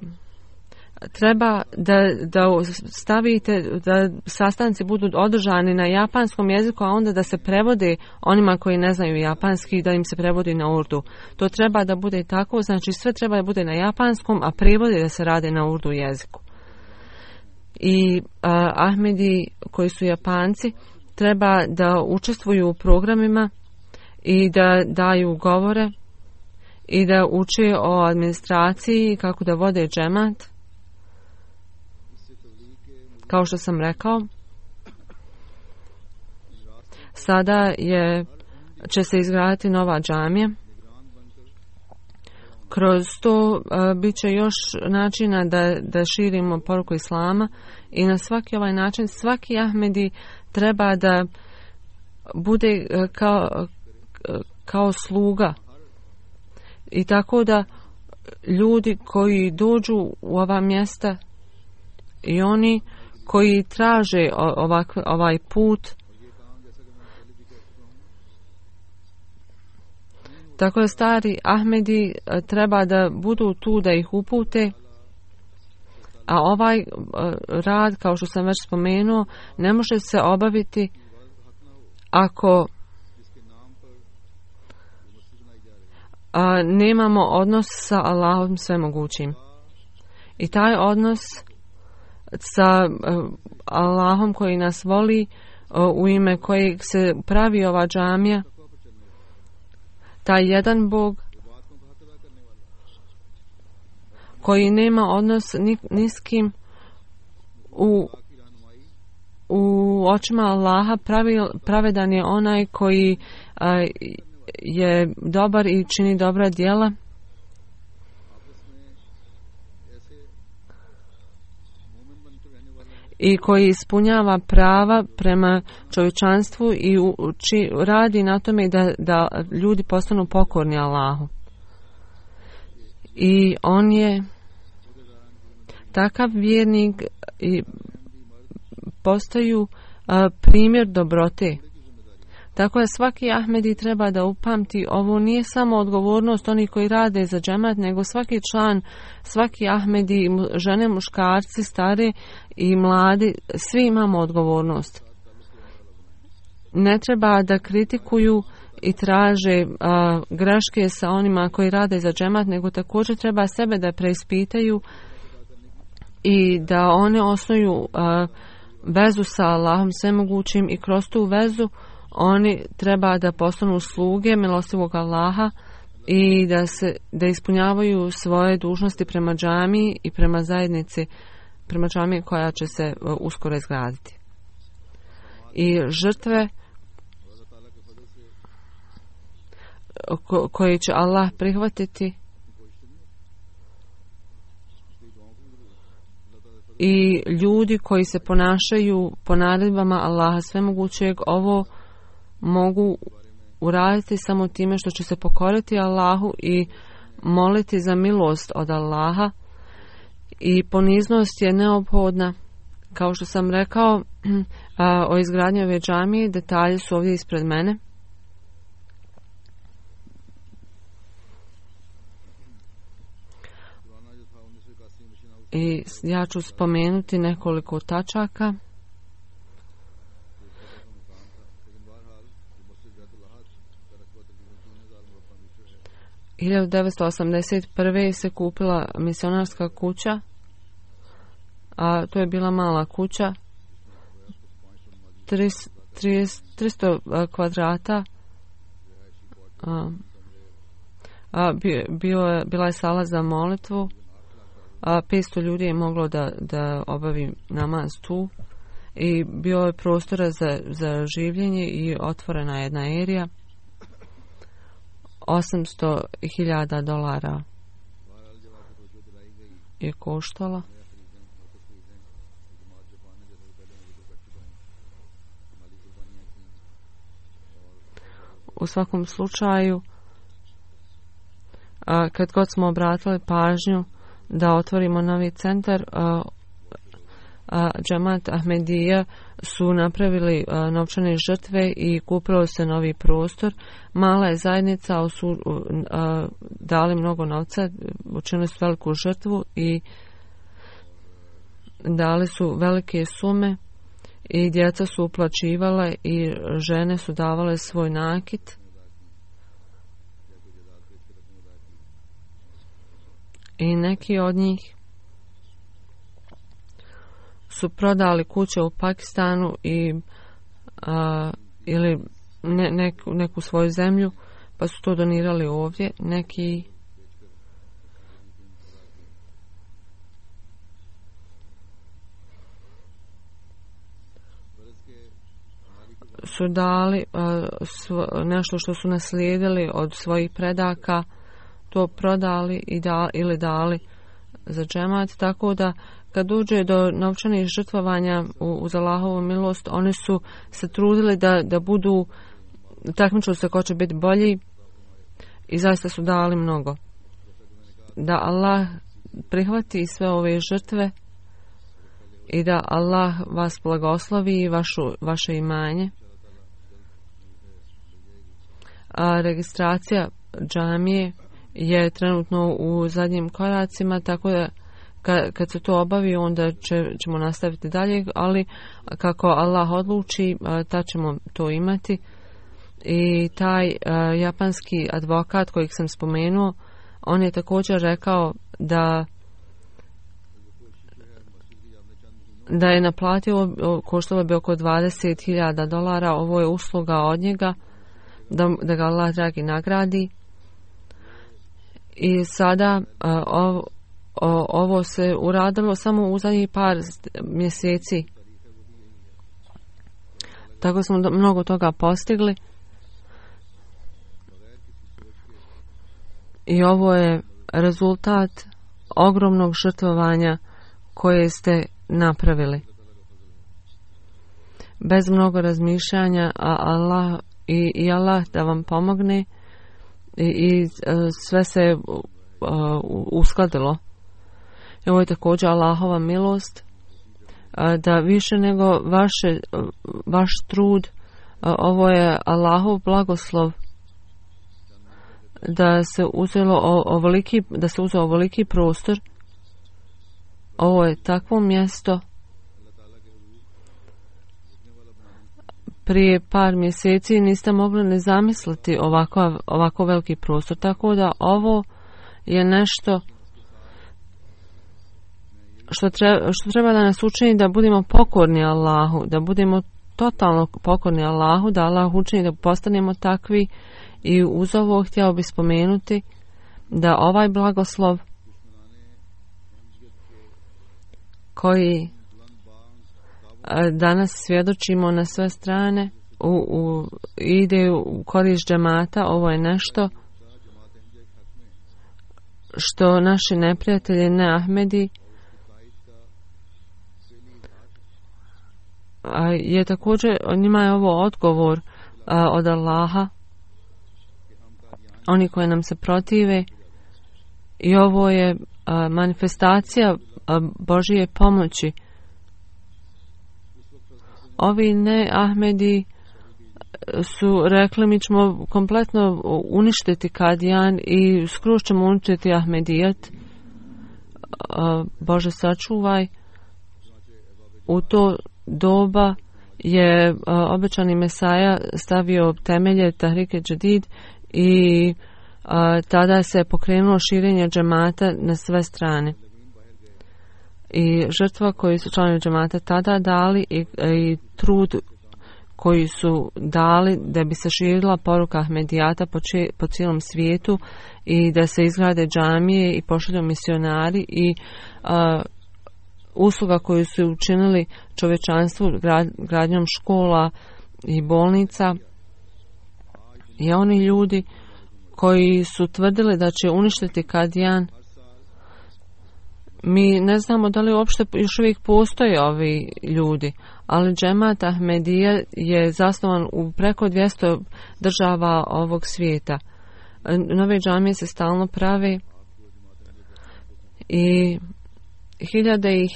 treba da stavite da sastanci budu održani na japanskom jeziku, a onda da se prevode onima koji ne znaju japanski, da im se prevodi na urdu. To treba da bude tako, znači sve treba da bude na japanskom, a prevodi da se rade na urdu jeziku. I Ahmedi koji su Japanci treba da učestvuju u programima i da daju govore i da uče o administraciji, kako da vode džemat. Kao što sam rekao, sada će se izgraditi nova džamija. Kroz to bit će još načina da širimo poruku Islama i na svaki ovaj način svaki Ahmedi treba da bude kao sluga. I tako da ljudi koji dođu u ova mjesta i oni koji traže ovaj put, tako da stari Ahmedi treba da budu tu da ih upute A ovaj rad, kao što sam već spomenuo, ne može se obaviti ako nemamo odnos sa Allahom svemogućim. I taj odnos sa Allahom koji nas voli, u ime kojeg se pravi ova džamija, taj jedan Bog koji nema odnos ni s kim, u očima Allaha pravedan je onaj koji je dobar i čini dobra djela. I koji ispunjava prava prema čovječanstvu i radi na tome da ljudi postanu pokorni Allahu. I on je takav vjernik i postaju primjer dobrote. Tako je svaki Ahmedi treba da upamti, ovo nije samo odgovornost onih koji rade za džemat, nego svaki član, svaki Ahmedi, žene, muškarci, stare i mladi, svi imamo odgovornost. Ne treba da kritikuju i traže greške sa onima koji rade za džemat, nego također treba sebe da preispitaju i da one osnuju vezu sa Allahom svemogućim i kroz tu vezu oni treba da postanu sluge milostivog Allaha i da ispunjavaju svoje dužnosti prema džamiji i prema zajednici, prema džamiji koja će se uskoro izgraditi. I žrtve koje će Allah prihvatiti i ljudi koji se ponašaju po naredbama Allaha svemogućeg, ovo mogu uraditi samo time što će se pokoriti Allahu i moliti za milost od Allaha. I poniznost je neophodna. Kao što sam rekao o izgradnji ove džamije, detalji su ovdje ispred mene. I ja ću spomenuti nekoliko tačaka. U 1981. se kupila misionarska kuća, a to je bila mala kuća, 300 kvadrata. Bila je sala za molitvu, 500 ljudi je moglo da obavi namaz tu i bio je prostora za življenje i otvorena jedna erija. $800,000 je koštala. U svakom slučaju, kad god smo obratili pažnju da otvorimo novi centar, džemat Ahmedija su napravili novčane žrtve i kupilo se novi prostor. Mala je zajednica, ali su dali mnogo novca, učinili su veliku žrtvu i dali su velike sume i djeca su uplaćivale i žene su davale svoj nakit. I neki od njih su prodali kuće u Pakistanu ili neku svoju zemlju, pa su to donirali ovdje. Neki su dali nešto što su naslijedili od svojih predaka, to prodali ili dali za džemat, tako da kad dođe do novčanih žrtvovanja uz Allahovu milost, oni su se trudili da budu, takmičili se ko će biti bolji i zaista su dali mnogo. Da Allah prihvati sve ove žrtve i da Allah vas blagoslovi i vaše imanje. A registracija džamije je trenutno u zadnjim koracima, tako da kad se to obavi, onda ćemo nastaviti dalje, ali kako Allah odluči, tad ćemo to imati. I taj japanski advokat kojeg sam spomenuo, on je također rekao da je naplatio, koštalo bi oko $20,000, ovo je usluga od njega, da ga Allah dragi nagradi. I sada ovo se uradilo samo u zadnjih par mjeseci. Tako smo mnogo toga postigli. I ovo je rezultat ogromnog žrtvovanja koje ste napravili. Bez mnogo razmišljanja, a Allah i Allah da vam pomogne i sve se uskladilo. I ovo je također Allahova milost, da više nego vaš trud, ovo je Allahov blagoslov, da se uzeo ovoliki prostor. Ovo je takvo mjesto. Prije par mjeseci niste mogli ne zamisliti ovako veliki prostor, tako da ovo je nešto što treba da nas učini da budemo pokorni Allahu, da budemo totalno pokorni Allahu, da Allah učini da postanemo takvi. I uz ovo htjeo bih spomenuti da ovaj blagoslov koji danas svjedočimo na sve strane ide u korist džemata. Ovo je nešto što naši neprijatelji, ne Ahmedi, je također, njima je ovo odgovor od Allaha, oni koji nam se protive, i ovo je manifestacija Božije pomoći. Ovi ne Ahmedi su rekli mi ćemo kompletno uništiti Kadijan i skroz ćemo uništiti Ahmedijat. Bože sačuvaj. U to doba je obećani Mesaja stavio temelje Tahrike Džadid i tada se pokrenulo širenje džemata na sve strane. I žrtva koju su članovi džemata tada dali i trud koji su dali da bi se širila poruka Ahmedijata po cijelom svijetu i da se izgrade džamije i pošalju misionari i usluga koju su učinili čovječanstvu gradnjom škola i bolnica. I oni ljudi koji su tvrdili da će uništiti Kadijan, mi ne znamo da li uopšte još uvijek postoje ovi ljudi, ali džemat Ahmedija je zasnovan u preko 200 država ovog svijeta. Nove džamije se stalno prave i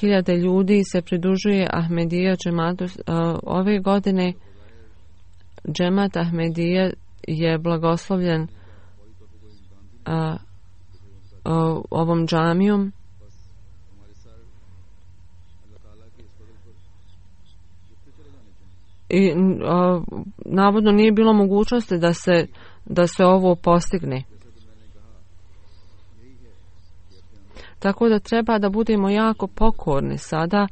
hiljade ljudi se pridružuje Ahmedija džematu. Ove godine džemat Ahmedija je blagoslovljen ovom džamijom. I navodno nije bilo mogućnosti da se ovo postigne. Tako da treba da budemo jako pokorni sada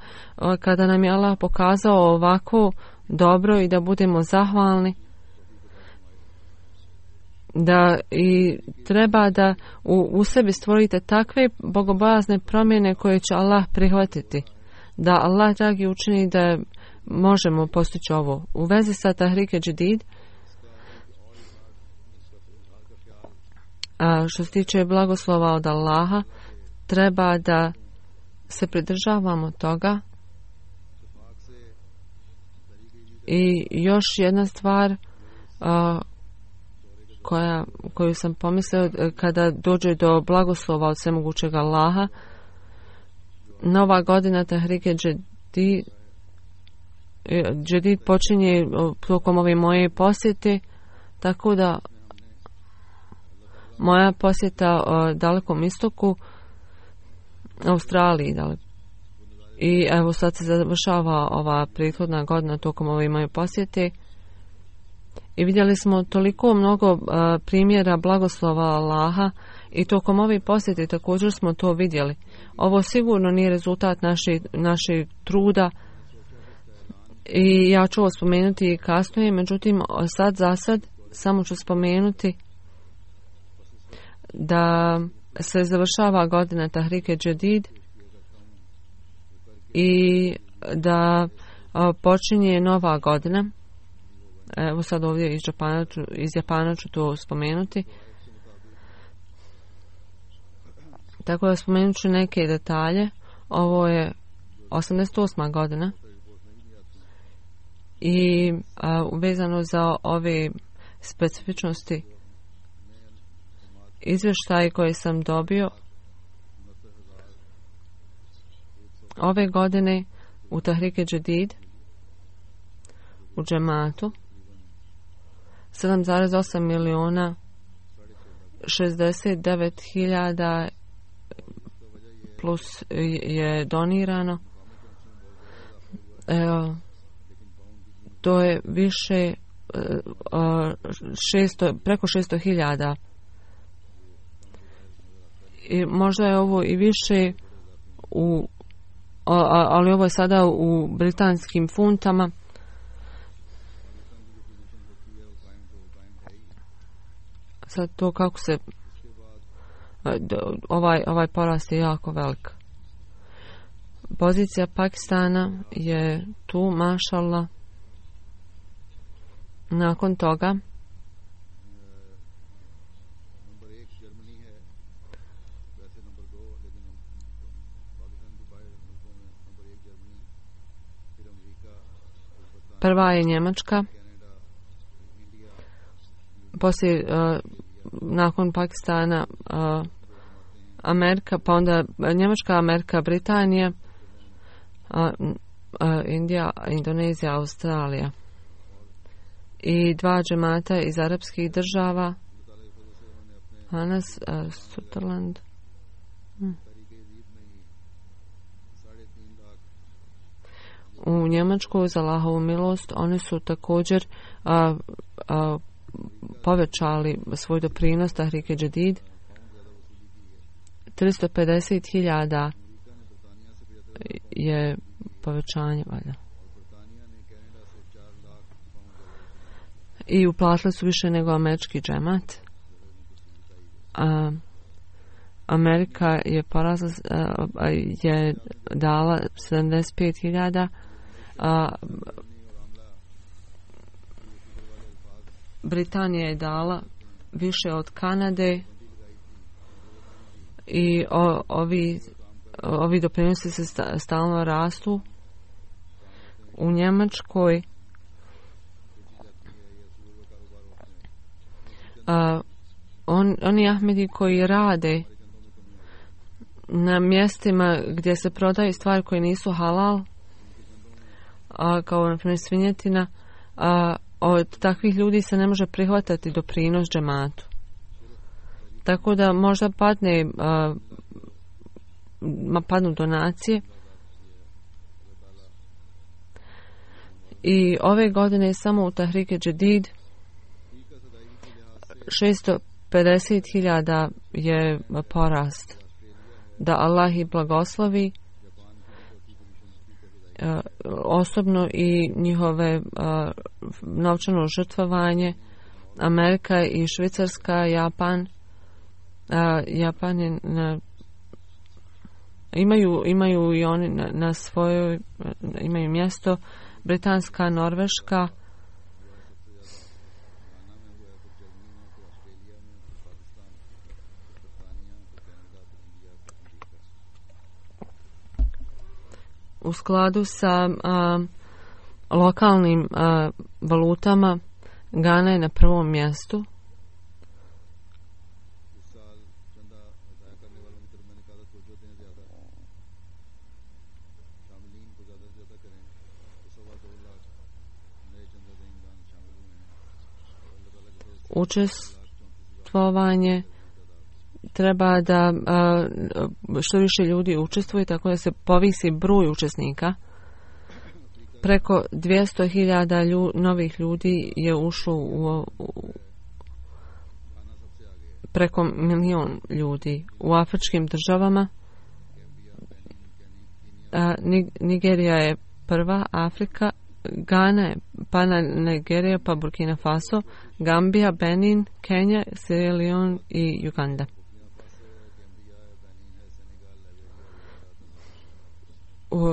kada nam je Allah pokazao ovako dobro i da budemo zahvalni. Da i treba da u sebi stvorite takve bogobojazne promjene koje će Allah prihvatiti. Da Allah dragi učini da možemo postići ovo. U vezi sa Tahrike Džadid, što se tiče blagoslova od Allaha, treba da se pridržavamo toga. I još jedna stvar koju sam pomislio, kada dođe do blagoslova od svemogućeg Allaha, nova godina Tahrike Džadid počinje tokom ove moje posjete, tako da moja posjeta Dalekom istoku Australiji, da li? I evo sad se završava ova prethodna godina tokom ove moje posjete i vidjeli smo toliko mnogo primjera blagoslova Allaha i tokom ove posjete također smo to vidjeli. Ovo sigurno nije rezultat našeg truda i ja ću ovo spomenuti i kasnije, međutim sad za sad samo ću spomenuti da se završava godina Tahrike Jadid i da počinje nova godina. Evo sad ovdje iz Japana ću to spomenuti. Tako da spomenut ću neke detalje. Ovo je 88. godina i vezano za ove specifičnosti izvještaje koje sam dobio ove godine u Tahrike Jadid u džematu 7,8 miliona 69.000 plus je donirano. To je više preko 600.000 i možda je ovo i više ali ovo je sada u britanskim funtama. Sad to kako se ovaj porast je jako velik. Pozicija Pakistana je tu, mašallah. Nakon toga prva je Njemačka, poslije nakon Pakistana Amerika, pa onda Njemačka, Amerika, Britanija, Indija, Indonezija, Australija i dva džemata iz arapskih država, Anas, Sutherland. U Njemačku za Allahovu milost oni su također povećali svoj doprinos Tahrike Jadid. 350.000 je povećanje valjda. I uplatili su više nego američki džemat. Amerika je porasla, je dala 75.000, Britanija je dala više od Kanade i ovi doprinosi se stalno rastu. U Njemačkoj oni Ahmedi koji rade na mjestima gdje se prodaju stvari koje nisu halal, kao na primjer svinjetina, od takvih ljudi se ne može prihvatati doprinos džematu. Tako da možda padnu donacije. I ove godine samo u Tahrike Jadid 650.000 je porast. Da Allah ih blagoslovi osobno i njihove novčano žrtvovanje. Amerika i Švicarska, Japan je imaju i oni na svojoj imaju mjesto. Britanska, Norveška, u skladu sa lokalnim valutama Gana je na prvom mjestu. Učestvovanje treba da što više ljudi učestvuje, tako da se povisi broj učesnika. Preko 200.000 novih ljudi je ušlo preko 1.000.000 ljudi u afričkim državama. Nigerija je prva, Afrika, Gana je, pa Nigerija, pa Burkina Faso, Gambija, Benin, Kenija, Sierra Leone i Uganda.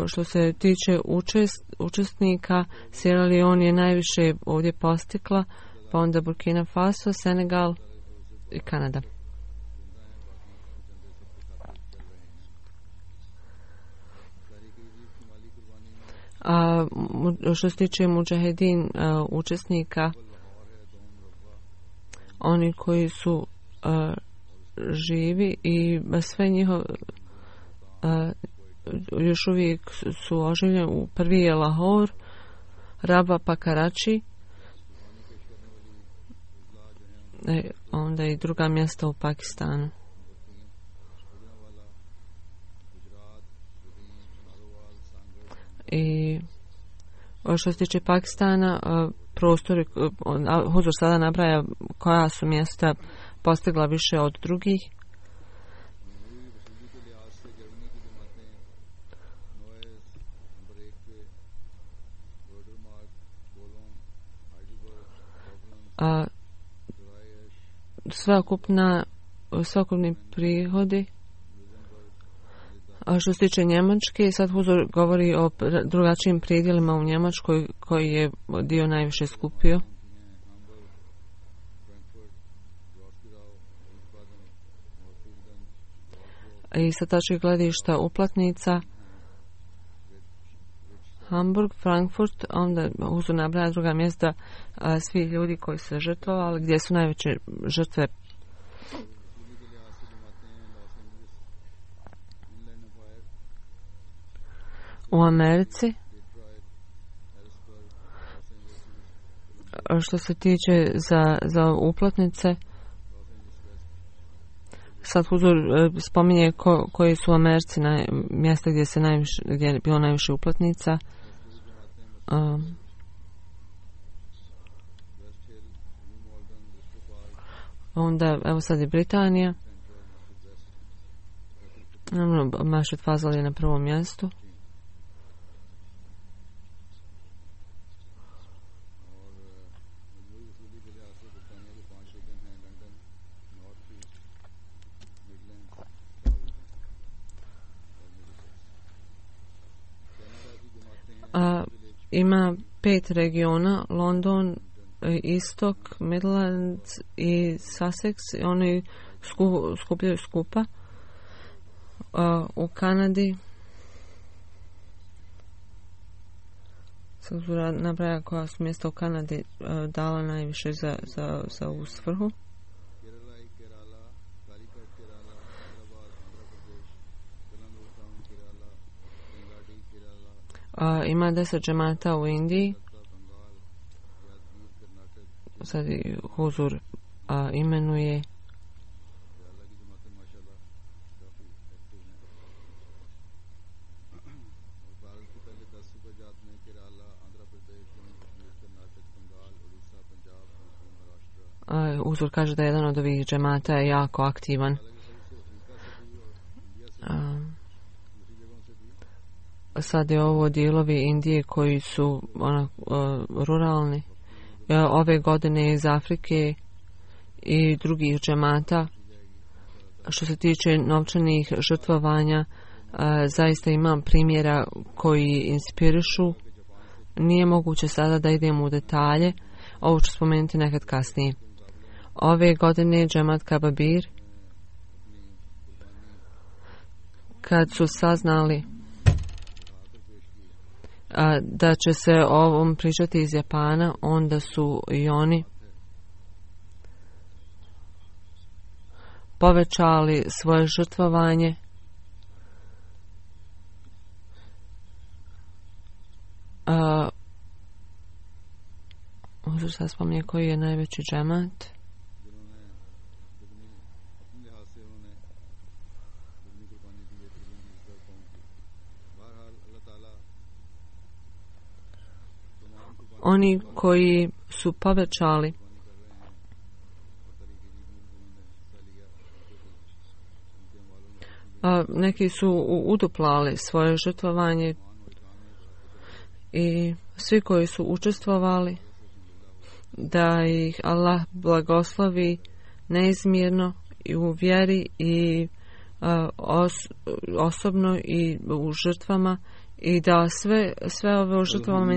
Što se tiče učesnika, Sierra Leone je najviše ovdje postigla, pa onda Burkina Faso, Senegal i Kanada. Što se tiče mudžahedin učesnika, oni koji su živi i sve njihove još uvijek su oživljeni. Prvi je Lahore, Raba pa Karači, onda i druga mjesta u Pakistanu. I što se tiče Pakistana, prostori, Huzur sada nabraja koja su mjesta postigla više od drugih. Sveukupni prihodi. A što se tiče Njemačke, sad Huzur govori o drugačijim pridjelima u Njemačkoj koji je dio najviše skupio. I sa tačke gledišta uplatnica Hamburg, Frankfurt, onda Huzur nabraja druga mjesta, svi ljudi koji su žrtvovali, gdje su najveće žrtve. U Americi, što se tiče za uplatnice, sad Huzur spominje koji su u Americi mjesta gdje je bilo najviše uplatnica. Onda, evo sad je Britanija. Mašet Fazal je na prvom mjestu. Ima 5 regiona, London, Istok, Midlands i Sussex. Oni skupljaju skupa. U Kanadi Huzur nabraja koja su mjesta u Kanadi dala najviše za ovu svrhu. Ima 10 džemata u Indiji. Sad Huzur imenuje Huzur kaže da jedan od ovih džemata je jako aktivan. Sad je ovo dijelovi Indije koji su ruralni. Ove godine iz Afrike i drugih džemata. Što se tiče novčanih žrtvovanja, zaista imam primjera koji inspirišu. Nije moguće sada da idemo u detalje. Ovo ću spomenuti nekad kasnije. Ove godine džemat Kababir, kad su saznali da će se o ovom pričati iz Japana, onda su i oni povećali svoje žrtvovanje. Možda sad spominje koji je najveći džemat. oni koji su povećali neki su uduplali svoje žrtvovanje i svi koji su učestvovali da ih Allah blagoslovi neizmjerno i u vjeri i osobno i u žrtvama i da sve ove u žrtvama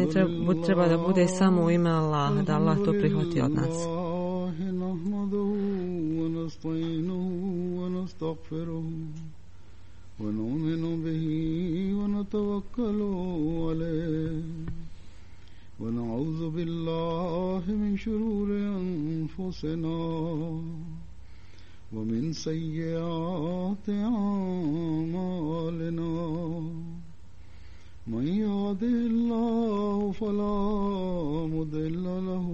treba da bude samo u ime Allaha, da Allah to prihvati od nas. ونؤمن به ونتوكل عليه ونعوذ بالله من شرور أنفسنا ومن سيئات أعمالنا من يهده الله فلا مضل له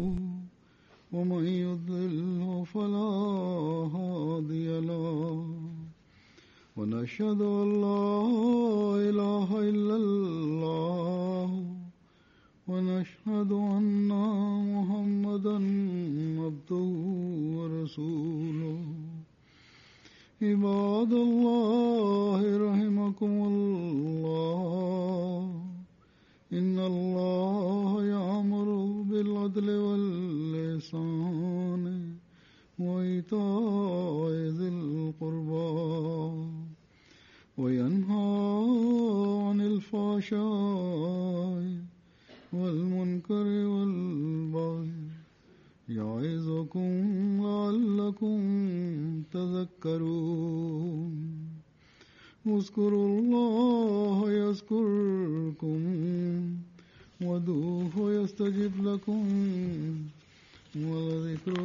ومن يضلل فلا هادي له ونشهد أن لا إله إلا الله ونشهد أن محمدا عبده ورسوله عباد الله رحمكم الله إن الله يأمر بالعدل والإحسان وإيتاء ذي القربى وينهى عن الفحشاء والمنكر والبغي يعظكم لعلكم تذكرون اذكروا الله يذكركم وادعوه يستجب لكم ولذكر